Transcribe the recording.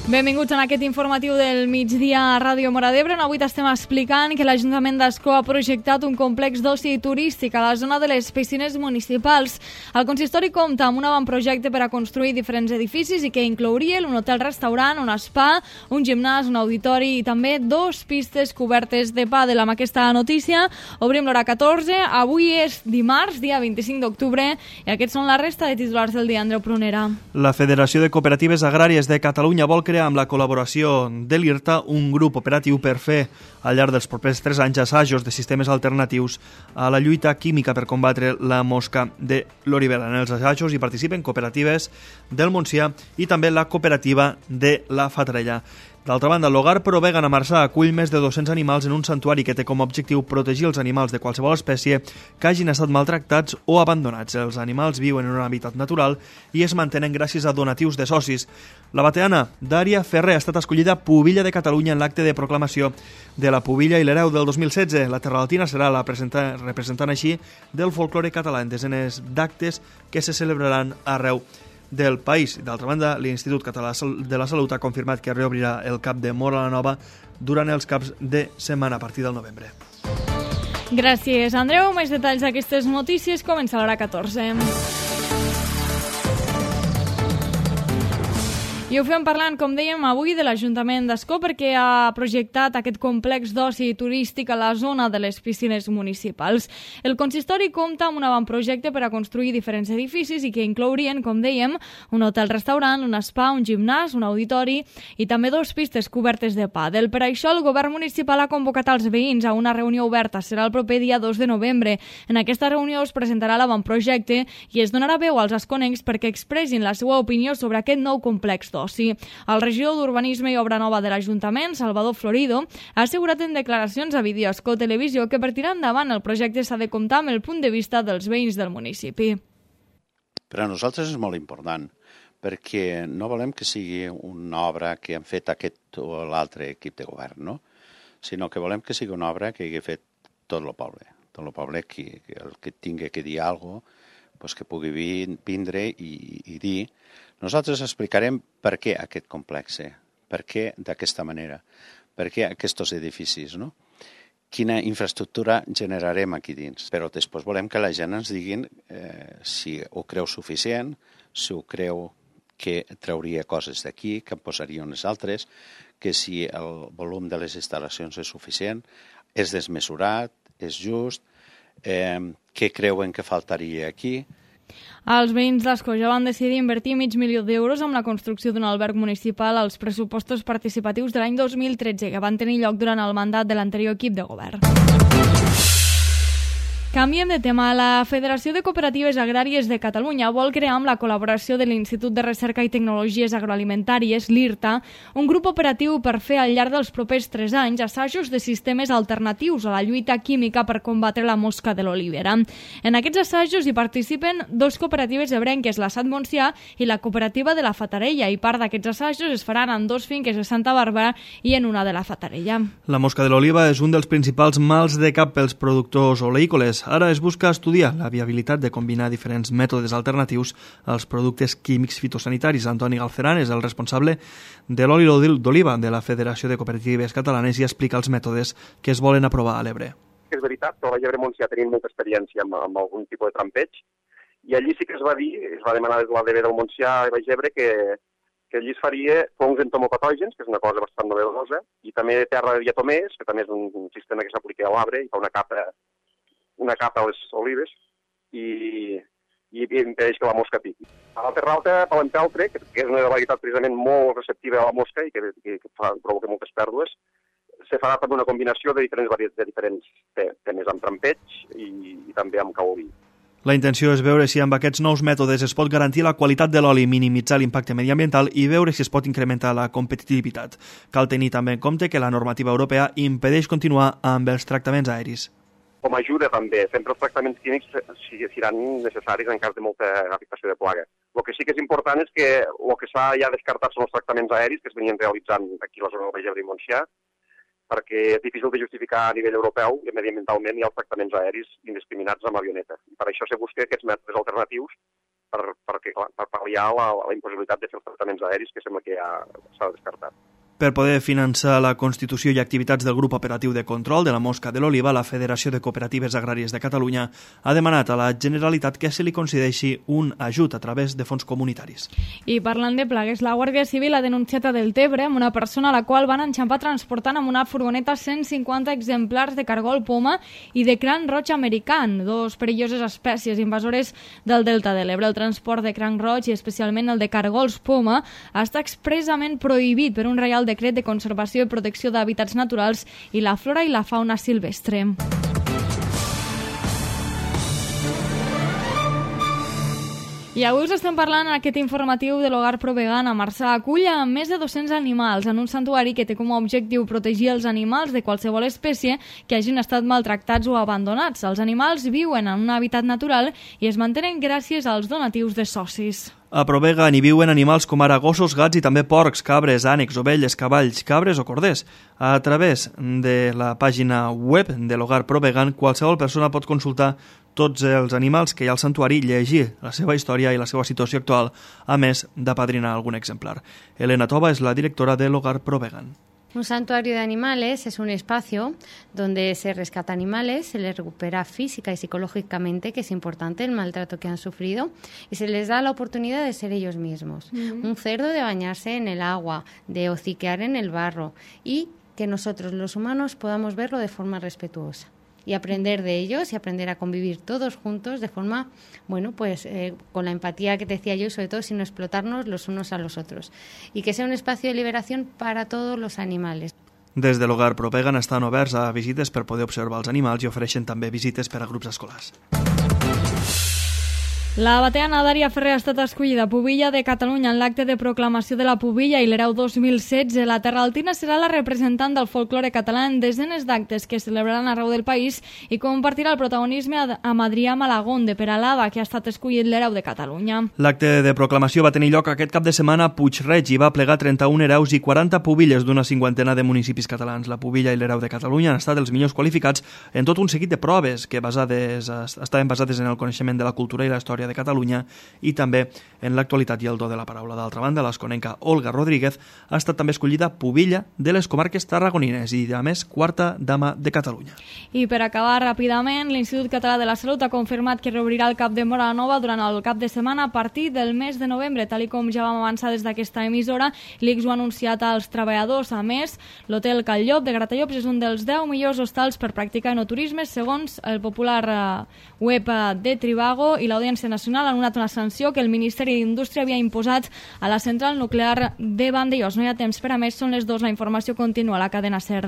Benvinguts en aquest informatiu del migdia a Ràdio Móra d'Ebre, on avui t'estem explicant que l'Ajuntament d'Ascó ha projectat un complex d'oci turístic a la zona de les piscines municipals. El consistori compta amb un avantprojecte per a construir diferents edificis i que inclouria un hotel-restaurant, un spa, un gimnàs, un auditori i també 2 pistes cobertes de pàdel. Amb aquesta notícia obrim l'hora 14. Avui és dimarts, dia 25 d'octubre, i aquests són la resta de titulars del dia. Andreu Prunera. La Federació de Cooperatives Agràries de Catalunya vol crear amb la col·laboració de l'IRTA un grup operatiu per fer al llarg dels propers 3 anys assajos de sistemes alternatius a la lluita química per combatre la mosca de l'olivera. En els assajos hi participen cooperatives del Montsià i també la cooperativa de la Fatarella. D'altra banda, l'Hogar Pro Vegan a Marçà acull més de 200 animals en un santuari que té com a objectiu protegir els animals de qualsevol espècie que hagin estat maltractats o abandonats. Els animals viuen en un hàbitat natural i es mantenen gràcies a donatius de socis. La bateana Dària Ferrer ha estat escollida Pubilla de Catalunya en l'acte de proclamació de la Pubilla i l'Hereu del 2016. La terralatina serà la representant així del folklore català en desenes d'actes que se celebraran arreu del país. D'altra banda, l'Institut Català de la Salut ha confirmat que reobrirà el CAP de Móra la Nova durant els caps de setmana a partir del novembre. Gràcies, Andreu. Més detalls d'aquestes notícies comença a l'hora 14. I ho fem parlant, com dèiem, avui de l'Ajuntament d'Ascó perquè ha projectat aquest complex d'oci turístic a la zona de les piscines municipals. El consistori compta amb un avantprojecte per a construir diferents edificis i que inclourien, com dèiem, un hotel-restaurant, un spa, un gimnàs, un auditori i també 2 pistes cobertes de pàdel. Per això, el govern municipal ha convocat els veïns a una reunió oberta. Serà el proper dia 2 de novembre. En aquesta reunió es presentarà l'avantprojecte i es donarà veu als asconencs perquè expressin la seva opinió sobre aquest nou complex d'oci. El regidor d'Urbanisme i Obra Nova de l'Ajuntament, Salvador Florido, ha assegurat en declaracions a Videoascó Televisió que per tirar endavant el projecte s'ha de comptar amb el punt de vista dels veïns del municipi. Per a nosaltres és molt important, perquè no volem que sigui una obra que han fet aquest o l'altre equip de govern, no? Sinó que volem que sigui una obra que hagi fet tot el poble. Tot el poble que el que tingui que dir alguna cosa, pues que pugui vindre i dir. Nosaltres explicarem per què aquest complex, per què d'aquesta manera, per què aquests edificis, no? Quina infraestructura generarem aquí dins. Però després volem que la gent ens diguin si ho creu suficient, si ho creu que trauria coses d'aquí, que en posaria unes altres, que si el volum de les instal·lacions és suficient, és desmesurat, és just, què creuen que faltaria aquí. Els veïns d'Ascó ja van decidir invertir $500.000 en la construcció d'un alberg municipal als pressupostos participatius de l'any 2013, que van tenir lloc durant el mandat de l'anterior equip de govern. Canviem de tema. La Federació de Cooperatives Agràries de Catalunya vol crear amb la col·laboració de l'Institut de Recerca i Tecnologies Agroalimentàries, l'IRTA, un grup operatiu per fer al llarg dels propers 3 anys assajos de sistemes alternatius a la lluita química per combatre la mosca de l'olivera. En aquests assajos hi participen 2 cooperatives ebrenques, la Sant Montsià i la cooperativa de la Fatarella, i part d'aquests assajos es faran en 2 finques de Santa Bàrbara i en una de la Fatarella. La mosca de l'oliva és un dels principals mals de cap pels productors oleícoles. Ara es busca estudiar la viabilitat de combinar diferents mètodes alternatius als productes químics fitosanitaris. Antoni Galceran és el responsable de l'oli d'oliva de la Federació de Cooperatives Catalanes i explica els mètodes que es volen aprovar a l'Ebre. És veritat que a la Llebre Montsià tenim molta experiència amb algun tipus de trampeig i allí sí que es va dir, es va demanar des de la DB del Montsià i Baix Ebre que allí es faria fongs entomopatògens, que és una cosa bastant novedosa, i també terra de diatomers, que també és un sistema que s'aplica a l'arbre i fa una capa a les olives i impedeix que la mosca piqui. A la terralta palempeltre, que és una varietat precisament molt receptiva a la mosca i que provoca moltes pèrdues, se farà per una combinació de diferents temes, amb trampeig i també amb caolí. La intenció és veure si amb aquests nous mètodes es pot garantir la qualitat de l'oli, minimitzar l'impacte mediambiental i veure si es pot incrementar la competitivitat. Cal tenir també en compte que la normativa europea impedeix continuar amb els tractaments aeris. Com a ajuda també, sempre els tractaments químics seran necessaris en cas de molta afectació de plaga. El que sí que és important és que el que s'ha ja descartat són els tractaments aeris que es venien realitzant aquí a la zona del Baix Ebre i Montsià, perquè és difícil de justificar a nivell europeu i mediambientalment hi ha els tractaments aeris indiscriminats amb avioneta. I per això se busca aquests mètodes alternatius per pal·liar la impossibilitat de fer els tractaments aeris, que sembla que ja s'ha descartat. Per poder finançar la constitució i activitats del grup operatiu de control de la mosca de l'oliva, la Federació de Cooperatives Agràries de Catalunya ha demanat a la Generalitat que se li concedeixi un ajut a través de fons comunitaris. I parlant de plagues, la Guàrdia Civil ha denunciat a Deltebre amb una persona a la qual van enxampar transportant amb una furgoneta 150 exemplars de cargol poma i de cranc roig american, dos perilloses espècies invasores del Delta de l'Ebre. El transport de cranc roig i especialment el de cargols poma està expressament prohibit per un reial decret de conservació i protecció d'hàbitats naturals i la flora i la fauna silvestre. I avui us estem parlant en aquest informatiu de l'Hogar Pro Vegan a Marçà. Acull a més de 200 animals en un santuari que té com a objectiu protegir els animals de qualsevol espècie que hagin estat maltractats o abandonats. Els animals viuen en un hàbitat natural i es mantenen gràcies als donatius de socis. A Provegan hi viuen animals com ara gossos, gats i també porcs, cabres, ànecs, ovelles, cavalls, cabres o corders. A través de la pàgina web de l'Hogar Pro Vegan, qualsevol persona pot consultar tots els animals que hi ha al santuari, llegir la seva història i la seva situació actual, a més d'apadrinar algun exemplar. Elena Tova és la directora de l'Hogar Pro Vegan. Un santuario de animales es un espacio donde se rescata animales, se les recupera física y psicológicamente, que es importante el maltrato que han sufrido, y se les da la oportunidad de ser ellos mismos. Un cerdo de bañarse en el agua, de hociquear en el barro, y que nosotros los humanos podamos verlo de forma respetuosa y aprender de ellos y aprender a convivir todos juntos de forma, con la empatía que te decía yo, sobre todo sin explotarnos los unos a los otros, y que sea un espacio de liberación para todos los animales. Des de l'Hogar Pro Vegan estan oberts a visites per poder observar els animals i ofereixen també visites per a grups escolars. La bateana Dària Ferrer ha estat escollida pubilla de Catalunya en l'acte de proclamació de la pubilla i l'Hereu 2016. La Terraltina serà la representant del folklore català en desenes d'actes que es celebraran arreu del país i compartirà el protagonisme amb Adrià Malagón de Peralada, que ha estat escollit l'Hereu de Catalunya. L'acte de proclamació va tenir lloc aquest cap de setmana a Puig-reig i va plegar 31 hereus i 40 pubilles d'una cinquantena de municipis catalans. La pubilla i l'Hereu de Catalunya han estat els millors qualificats en tot un seguit de proves que estaven basades en el coneixement de la cultura i la història de Catalunya i també en l'actualitat i el do de la paraula. D'altra banda, l'esconenca Olga Rodríguez ha estat també escollida pubilla de les comarques tarragonines i, a més, quarta dama de Catalunya. I per acabar ràpidament, l'Institut Català de la Salut ha confirmat que reobrirà el CAP de Móra la Nova durant el cap de setmana a partir del mes de novembre, tal com ja vam avançar des d'aquesta emissora. L'ICS ho ha anunciat als treballadors. A més, l'Hotel Cal Llop de Gratallops és un dels 10 millors hostals per practicar enoturisme, segons el popular web de Trivago, i l'Audiència Nacional ha anul·lat una sanció que el Ministeri d'Indústria havia imposat a la central nuclear de Vandellòs. No hi ha temps per a més, són les 2, la informació continua a la cadena SER.